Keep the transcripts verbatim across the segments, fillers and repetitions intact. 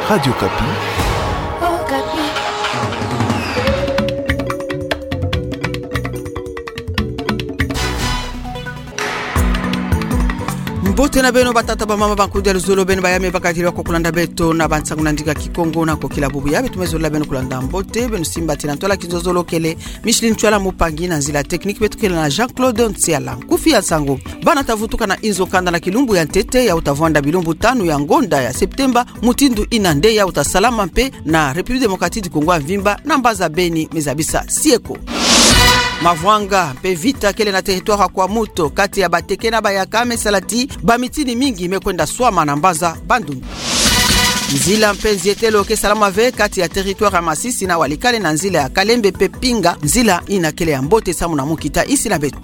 Radio Okapi. Mbote na beno batata, bamama, bankudi ya luzolo, beno baya me bakadiri wa ko kulanda beto na bansangu na ndinga Kikongo. Na ko kila bubu ya beto me zolila beno kulanda mbote, beno simbati na ntwala kinzonzolo kele Micheline Tshiwala, mupangi na nzila technique beto kele na Jean-Claude Nsiala. Nkufi ya nsangu: bana ta vutuka na inzo kanda na kilumbu ya ntete, yau ta vwanda bilumbu tanu ya ngonda ya Septemba, mutindu ina nde yau ta salama mpe na République Démocratique du Congo ya mvimba, na mbanza Beni, me zabisa Sieko. Mavwanga mpe vita kele na territoire ya Kwamouth, kati ya Bateke na Bayaka, me sala ti bamitini mingi me kwenda swama na mbanza Bandundu. Nzila mpe nzietelo ke salama ve kati ya territoire ya Masisi na Walikale, na nzila ya Kalembe mpe Pinga, nzila ina kele ya mbote samu na mu kita isi na beto.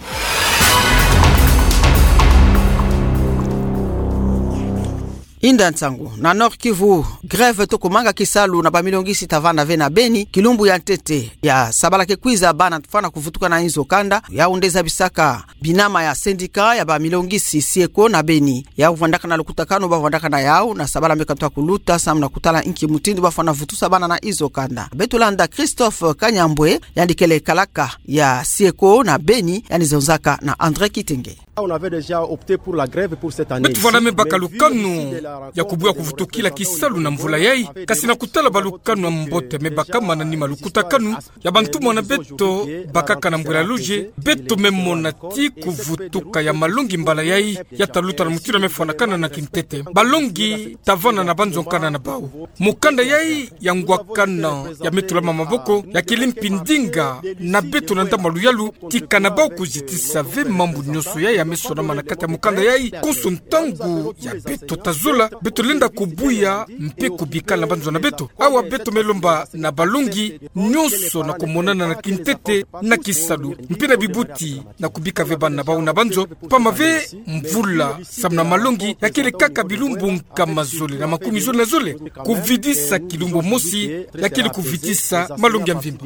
Inda nsangu. Na Nord-Kivu, grève to kumanga kisalu na bamilongisi ta vanda ve na Beni kilumbu ya ntete ya sabala ke kwiza, bana fwana kuvutuka na inzo kanda. Yau nde zabisaka binama ya syndicat ya bamilongisi Sieko na Beni. Yau vwandaka na lukutakanu, ba vwandaka na yau na sabala me katuka kuluta samu na kutala inki mutindu ba fwana vutusa bana na inzo kanda. Beto landa Christophe Kanyambwe, yandi kele kalaka ya Sieko na Beni, yandi zonzaka na André Kitenge. On avait déjà opté pour la grève pour cette année. Beto vwanda me baka lukanu ya kubuya kuvutukila kisalu na mvula yai, kasi na kutala balukanu ya mbote me baka, manima lukutakanu ya bantumwa na beto bakaka na mbwela loge, beto me mona ti kuvutuka ya malongi mbala yai ya ta luta na mutindu ya me fwanakana na kintete. Balongi ta vanda na banzo nkanda na bau. Mukanda yai ya ngwakana ya me tulama maboko, ya kele mpi ndinga na beto na ntama luyalu, ti kana bau kuzitisa ve mambu nyonso yai ya me sonama na kati ya mukanda yai. Konso ntangu ya beto ta zola, beto lenda kubuya mpe kubikala na banzo na beto. Awa beto me lomba na balongi nyonso na kumonana na kintete, na kisalu, mpe na bibuti, na kubika ve bana na bau na banzo, pamba ve mvula samu na malongi ya kele kaka bilumbu nkama zole na makumi zole na zole. Kuvidisa kilumbu mosi ya kele kuvidisa malongi ya mvimba.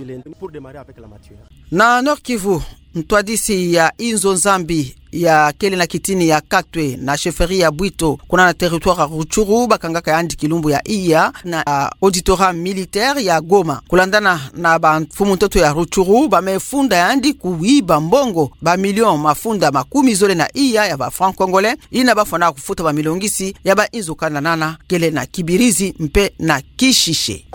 Na Nord-Kivu, ntwadisi ya inzo Nzambi ya kele na kitini ya Katwe na chefferie ya Bwito, kuna na territoire ya Rutshuru, bakangaka yandi kilumbu ya iya na, ah, auditorat militaire ya Goma. Kulandana na bamfumu ntoto ya Rutshuru, ba me funda yandi kuyiba mbongo ba million mafunda makumi zole na iya ya ba francs congolais, ina ba fwana kufuta bamilongisi ya ba inzo kanda nana kele na Kibirizi mpe na Kishishe.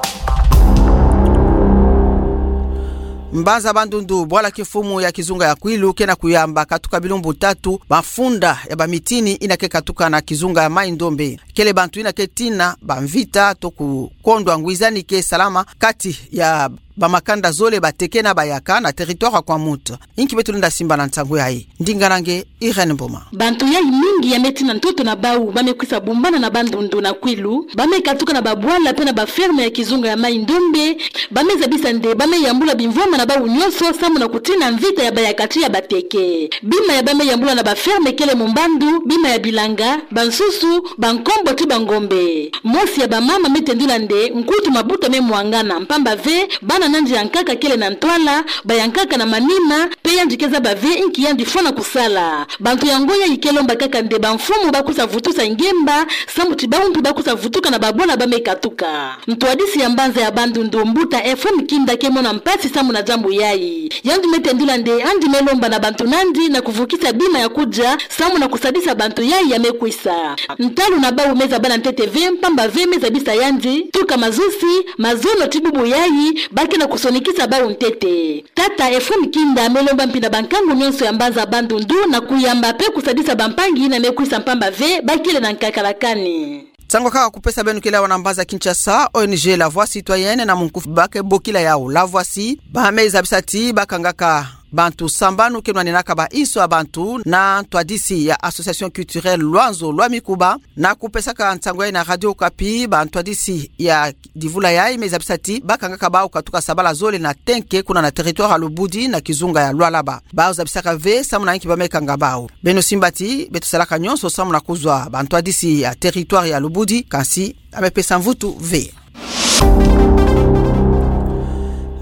Mbanza Bandundu, bwala kimfumu ya kizunga ya Kwilu ke na kuyamba katuka bilumbu tatu mafunda ya bamitini ina ke katuka na kizunga ya Mai-Ndombe. Kele bantu ina ke tina bamvita to kukondwa ngwizani ke salama kati ya bamakanda zole, Bateke na Bayaka, na territoire ya Kwamouth. Inki beto lenda simba na nsangu yai? Ndinga na nge Irène Mboma. Bantu yai mingi ya me tina ntoto na bau ba me kwisa bumbana na Bandundu na Kwilu, ba me katuka na babwala mpe na baferme ya kizunga ya Mai-Ndombe, ba me zabisa nde ba me yambula bimvwama na bau nyonso samu na kutina mvita ya Bayaka ti ya Bateke. Bima ya ba me yambula na baferme kele mumbandu, bima ya bilanga, bansusu, bankombo ti bangombe. Mosi ya bamama me tendula nde nkutu mabuta me mwangana, pamba ve bana na yandi ya nkaka kele na ntwala, ba ya nkaka na manima, mpe yandi ke zaba ve inki yandi fwana kusala. Bantu yango yai ke lomba kaka nde bamfumu ba kwisa vutusa ngemba, samu ti bau mpe ba kwisa vutuka na babwala ba me katuka. Ntwadisi ya mbanza ya Bandundu, mbuta Ephraim Kinda, ke mona mpasi samu na diambu yai. Yandi me tendula nde yandi me lomba na bantu na yandi na kuvukisa bima ya kudia, samu na kusadisa bantu yai ya me kwisa. Ntalu na bau me zaba na ntete ve, pamba ve me zabisa yandi, tuka mazusi, mazono ti bubu yai, ba ke na kusonikisa bau ntete. Tata Ephraim Kinda me lomba mpi na bankangu nyonso ya mbanza Bandundu na kuyamba mpe kusadisa bampangi ina me kwisa, pamba ve ba kele na nkakala kani. Nsangu kaka kupesa beno kele awa na mbanza Kinshasa, O N G La Voix Citoyenne na munkufi ba ke bokila yau La Voici, ba me zabisa ti ba kangaka bantu sambanu ke nwaninaka ba inso ya bantu na ntwadisi ya Association Culturelle Lwanzo lwa Mikuba, na kupesaka nsangu yai na Radio Okapi, bantwadisi ya divula yai me zabisa ti ba kangaka bau katuka sabala zole na Tenke, kuna na territoire ya Lubudi na kizunga ya Lualaba. Bau zabisaka ve samu na inki ba me kanga bau. Beno simba ti beto salaka nyonso samu na kuzwa bantwadisi ya territoire ya Lubudi, kansi ba me pesa mvutu ve.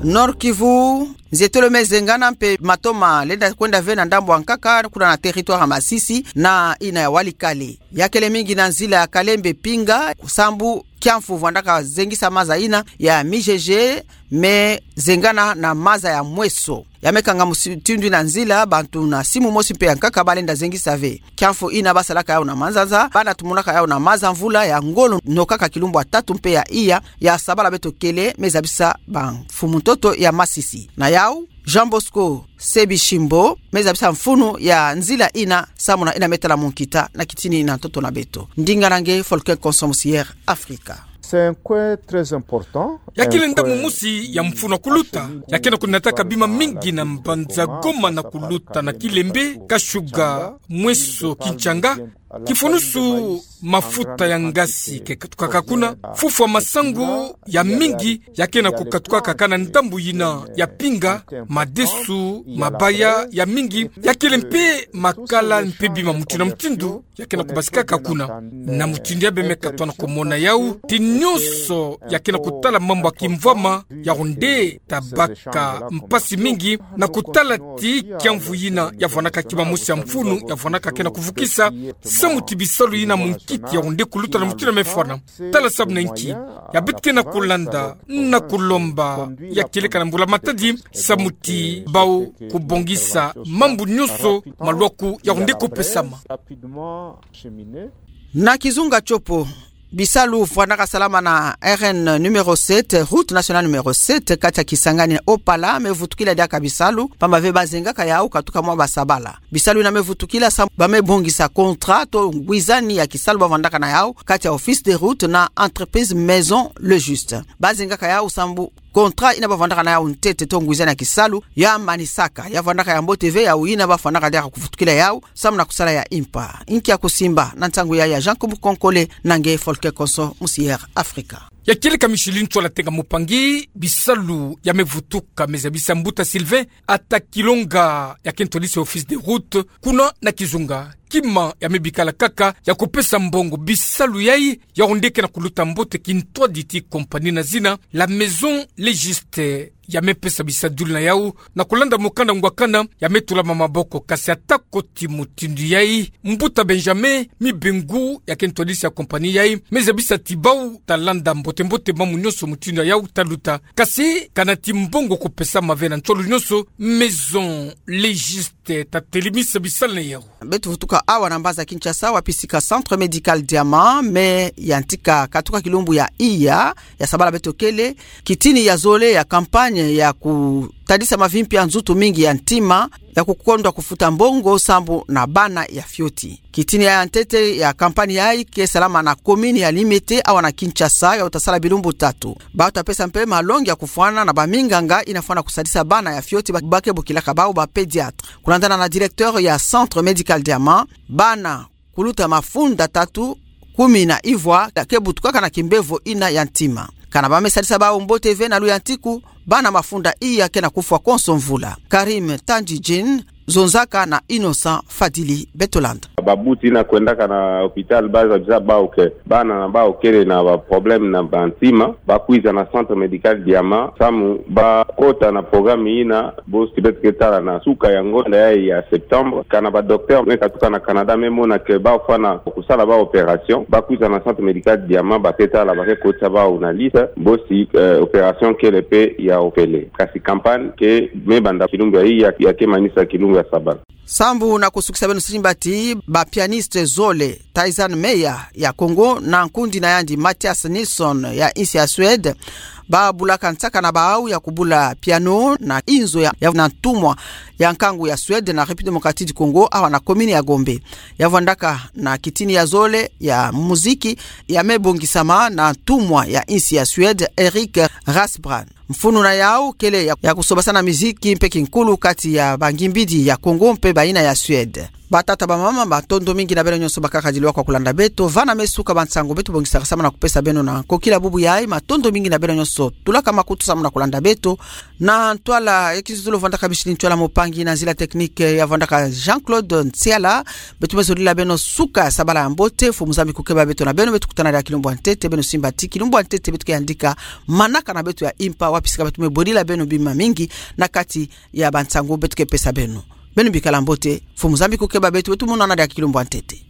Nord-Kivu, Nzietolo me zengana mpe matoma lenda kwenda ve na ndambu ya nkaka, kuna na territoire ya Masisi, na ina ya Walikale. Ya kele mingi na nzila ya Kalembe Pinga, sambu kiamfu vwandaka zengisa maza ina ya mijeje, me zengana na maza ya mweso. Ya me kanga musi-, mutindu ina nzila, bantu na simu mosi mpe ya nkaka balenda zengisa ve. Kiamfu ina basalaka yau na manzanza, bana tumonaka yau na maza mvula ya ngolo, nokaka kilumbu ya tatu mpe ya iya, ya sabala beto kele, me zabisa bamfumu ntoto ya Masisi. Na yau, Jean Bosco Sebishimbo, me zabisa mfunu ya nzila ina, samu na ina me tala mu nkita na kitini na ntoto na beto. Ndinga na nge, Folke Konso, Musier Afrika. C'est un coin très important. Ya kele ndambu mosi ya mfunu ya kuluta, ya kena kunataka bima mingi na mbanza Goma na kuluta na Kilembe, Kashuga, Mweso, Kinshanga, kifunusu mafuta ya ngasi ke katukaka kuna, fufwa masangu ya mingi ya kena kukatukaka na ndambu yina ya Pinga, madesu, mabaya ya mingi, ya kele mpe makala mpe bima mutindu na mutindu, ya kena kubasikaka kuna. Na mutindu ya be me katwa na kumona yau, ti nyonso ya kena kutala mambu ya kimvwama, yau nde tabaka mpasi mingi, na kutala ti kiamvu yina ya vwanaka kima mosi ya mfunu, ya vwanaka kena kuvukisa, samu ti bisalu yina mu nkiti yau nde kuluta na mutindu ya me fwana. Tala samu na nki ya beto kena kulanda na kulomba ya kieleka na mbula-matadi, samu ti bau kubongisa mambu nyonso malwaku yau nde kupesama. Na kizunga tiopo, bisalu vwanaka salama na R N numéro sept, route nationale numéro sept, kati ya Kisangani Opala, me vutukila diaka bisalu, pamba ve bazengaka yau katuka mwa basabala. Bisalu yina me vutukila samu ba me bongisa contrat to ngwizani ya kisalu ba vwandaka na yau kati ya Office des Routes na entreprise Maison Le Juste. Bazengaka yau samu contrat yina ba vwandaka na yau ntete to ngwizani ya kisalu ya manisaka. Ya vwandaka ya mbote ve yau yina ba fwanaka diaka kuvutukila yau samu na kusala ya impa. Nki ya kusimba na ntangu ya, ya Jean Kubu Konkole na nge Folke Konso, Musier Afrika. Ya kieleka Micheline Tsola Tenga Mupangi, bisalu ya me vutuka, me zabisa mbuta Sylvain Atakilonga, ya ke ntwadisi ya Office des Routes kuna na kizunga. Kima ya me bikala kaka ya kupesa mbongo bisalu yai, yau nde kena kuluta mbote, kintwadi ti compagnie na zina la Maison Le Juste ya me pesa bisadulu na yau na kulanda mukanda ngwakana ya me tulama maboko. Kasi atako ti mutindu yai, mbuta Benjamin Mibengu, ya ke ntwadisi ya compagnie yai, me zabisa ti bau talanda mbote-mbote mambu nyonso mutindu ya yau taluta. Kasi kana ti mbongo kupesama ve na ntiolu nyonso, Maison Le Juste te tatelemisa bisalu na yau. Beto vutuka awa na mbanza Kinshasa, wapi sika Centre Médical Diamant me yantika katuka kilumbu ya iya, ya sabala beto kele, kitini ya zole ya campagne ya kutadisa mavimpi ya nzutu mingi ya ntima, ya kukondwa kufuta mbongo sambu na bana ya fioti. Kitini ya ntete ya campagne yai ke salama na commune ya Limete, awa na Kinshasa, yau ta sala bilumbu tatu. Bau ta pesa mpe malongi ya kufwana na baminganga yina fwana kusadisa bana ya fioti ba, ba ke bokilaka bau ba pédiatre. Kulandana na directeur ya Centre Médical Diamant, bana kuluta mafunda tatu, kumi na ivwa, ya ke butukaka na kimbevo yina ya ntima. Kana ba me sadisa bau mbote ve na luyantiku, bana mafunda iya kena kufwa konso mvula. Karim Tandjidjine zonzaka na Innocent Fadili, beto landa. Babuti yina kwendaka na hôpital ba zabisa bau ke bana na bau kele na ba problème na ba ntima, ba kwiza na Centre Médical Diamant samu ba kota na programme yina. Bosi beto ke tala na suka ya ngonda yai ya septembre, kana ba docteur me katuka na Canada me mona ke bau fwana kusala bau opération, ba kwiza na Centre Médical Diamant, ba ke tala, ba ke kotisa bau na liste. Bosi, eh, opération kele mpe ya opele. Kasi campagne ke me banda kilumbu ya iya, ya ke manisa kilumbu ya sabala. Sambu na kusukisa, beno simba ti ba pianiste zole, Tayzan Meya ya Congo na nkundi na yandi Mathias Nilsson ya insi ya Suède, ba bulaka nsaka na bau ya kubula piano na inzo ya, ya na ntumwa ya nkangu ya Suède na République Démocratique du Congo, awa na commune ya Gombe. Ya vwandaka na kitini ya zole ya muziki ya me bongisama na ntumwa ya insi ya Suède, Erik Rasbrand. Mfunu na yau kele ya, ya kusobasana miziki mpe kinkulu kati ya bangimbidi ya Congo mpe bayina ya Suède. Batata, bamama, matondo mingi na beno nyonso bakaka dilwa kwa kulanda beto. Vana me suka ba nsangu beto bongisaka samu na kupesa beno na kokila bubu yai. Matondo mingi na beno nyonso tulaka makutu samu na kulanda beto. Na ntwala ya kizuzulu, vwandaka Micheline Tsola Mupangi. Ngi na nzila technique ya vwandaka Jean-Claude Nsiala. Beto me zolila beno suka sabala ya mbote. Mfumu Nzambi kukeba beto na beno, beto kutana diaka kilumbu ya ntete, beno simbati kilumbu ya ntete, beto ke yandika manaka na beto ya impa, wapi sika beto me bolila beno bima mingi na kati ya bansangu beto ke pesa beno. Beno bikala mbote, Mfumu Nzambi kukeba beto, beto monana diaka kilumbu ya ntete.